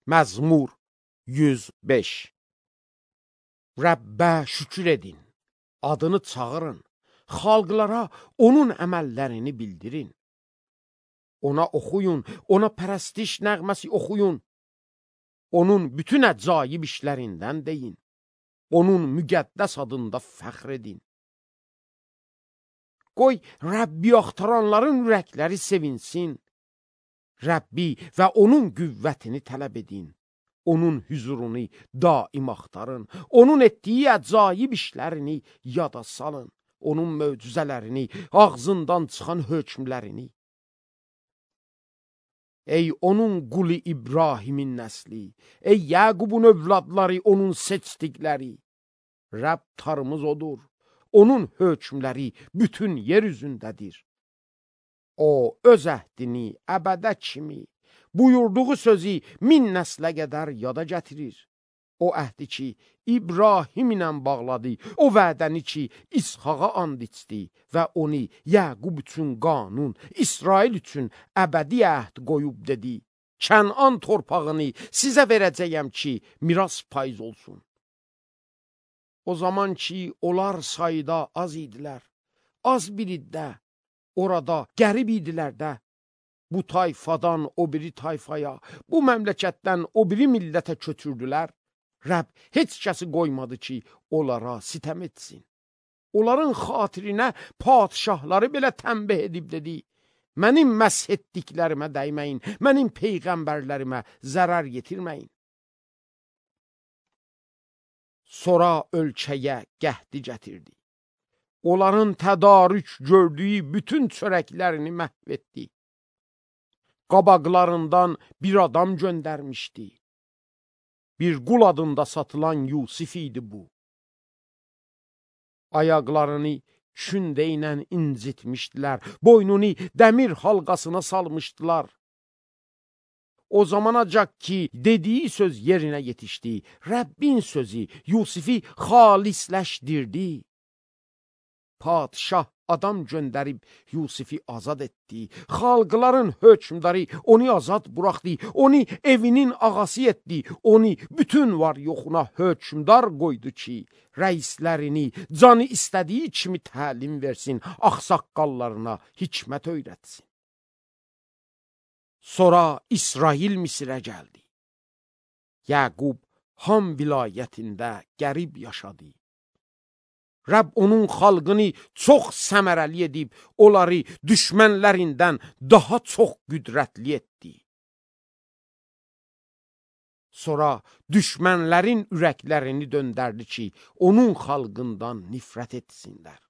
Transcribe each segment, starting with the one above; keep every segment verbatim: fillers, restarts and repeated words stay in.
Məzmur yüz beş. Rəbbə şükür edin, adını çağırın, xalqlara onun əməllərini bildirin. Ona oxuyun, ona pərəstiş nəğməsi oxuyun. Onun bütün əcaib işlərindən deyin. Onun müqəddəs adında fəxr edin. Qoy Rəbbi axtaranların ürəkləri sevinsin. Rəbbi və onun qüvvətini tələb edin. Onun hüzurunu daim axtarın. Onun etdiyi əcaib işlərini yada salın. Onun möcüzələrini, ağzından çıxan hökmlərini. Ey onun qulu İbrahimin nəsli, ey Yaqubun övladları, onun seçdikləri. Rəbb tarımız odur, onun hökmləri bütün yer üzündədir. O, öz əhdini əbədə kimi, buyurduğu sözü min nəslə qədər yada gətirir. O əhdi ki, İbrahim ilə bağladı, o vədəni ki, İshaqa and içdi və onu Yaqub üçün qanun, İsrail üçün əbədi əhd qoyub dedi. Kənan torpağını sizə verəcəyəm ki, miras payız olsun. O zaman ki, onlar sayda az idilər, az bir iddə, orada qərib idilər də. Bu tayfadan o biri tayfaya, bu məmləkətdən o biri millətə köçürdülər. Rəbb heç kəsi qoymadı ki, onlara sitəm etsin. Onların xatirinə padişahları belə tənbih edib dedi. Mənim məsh etdiklərimə dəyməyin, mənim peyğəmbərlərimə zərər yetirməyin. Sonra ölkəyə qəhdi gətirdi. Onların tədarük gördüyü bütün çörəklərini məhv etdi. Qabaqlarından bir adam göndərmişdi. Bir qul adında satılan Yusif idi bu. Ayaqlarını kündə ilə incitmişdilər, boynunu dəmir halqasına salmışdılar. O zamanacaq ki, dediyi söz yerinə yetişdi, Rəbbin sözü Yusifi xalisləşdirdi. Padişah adam göndərib Yusifi azad etdi. Xalqların hökmdarı onu azad buraxdı. Onu evinin ağası etdi. Onu bütün var yoxuna hökmdar qoydu ki, rəislərini canı istədiyi kimi təlim versin, ağsaqqallarına hikmət öyrətsin. Sonra İsrail Misirə gəldi. Yaqub Ham vilayətində qərib yaşadı. Rəbb onun xalqını çox səmərəli edib, onları düşmənlərindən daha çox qüdrətli etdi. Sonra düşmənlərin ürəklərini döndərdi ki, onun xalqından nifrət etsinlər.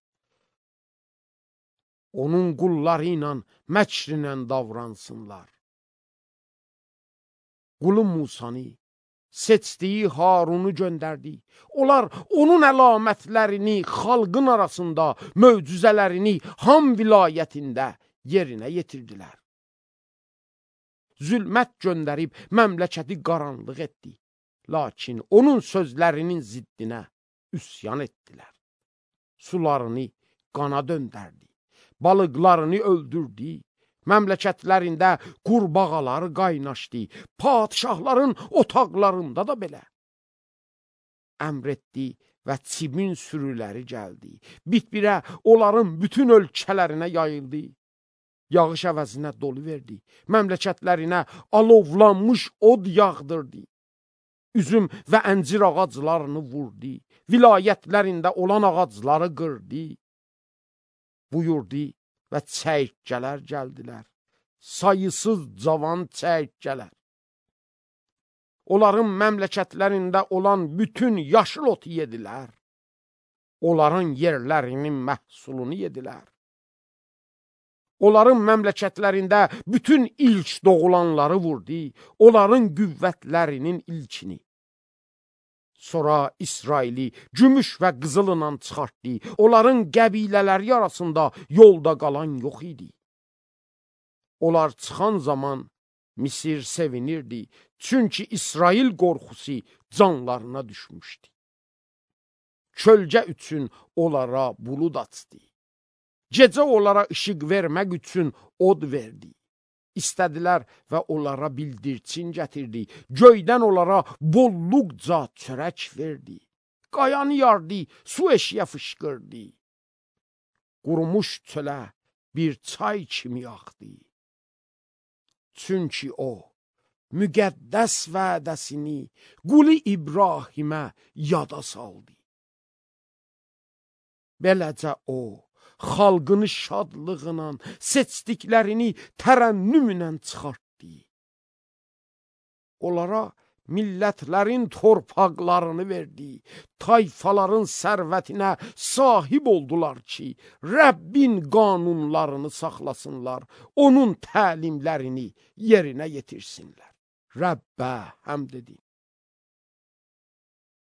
Onun qulları ilə məkrinlə davransınlar. Qulu Musanı, seçdiyi Harunu göndərdi. Onlar onun əlamətlərini xalqın arasında, möcüzələrini Ham vilayətində yerinə yetirdilər. Zülmət göndərib məmləkəti qaranlıq etdi. Lakin onun sözlərinin ziddinə üsyan etdilər. Sularını qana döndərdi. Balıqlarını öldürdü. Məmləkətlərində qurbağaları qaynaşdı. Padişahların otaqlarında da belə. Əmr etdi və çimin sürüləri gəldi. Bitbirə onların bütün ölkələrinə yayıldı. Yağış əvəzinə dolu verdi. Məmləkətlərinə alovlanmış od yağdırdı. Üzüm və əncir ağaclarını vurdu. Vilayətlərində olan ağacları qırdı. Buyurdu və çəyirtkələr gəldilər. Sayısız cavan çəyirtkələr. Onların məmləkətlərində olan bütün yaşıl otu yedilər. Onların yerlərinin məhsulunu yedilər. Onların məmləkətlərində bütün ilk doğulanları vurdu. Onların qüvvətlərinin ilkini. Sonra İsraili gümüş və qızılla çıxartdı. Onların qəbilələri arasında yolda qalan yox idi. Onlar çıxan zaman Misir sevinirdi. Çünki İsrail qorxusu canlarına düşmüşdü. Kölgə üçün onlara bulud açdı. Gecə onlara işıq vermək üçün od verdi. istədilər və onlara bildirçin gətirdi. Göydən onlara bolluqca çörək verdi. Qayanı yardı, su eşiyə fışqırdı. Qurumuş çölə bir çay kimi axdı. Çünki o, müqəddəs vədəsini qulu İbrahimə yada saldı. Beləcə o, xalqını şadlığına, seçdiklərini tərənnümlə çıxartdı. Onlara millətlərin torpaqlarını verdi, tayfaların sərvətinə sahib oldular ki, Rəbbin qanunlarını saxlasınlar, onun təlimlərini yerinə yetirsinlər. Rəbbə həmd edin.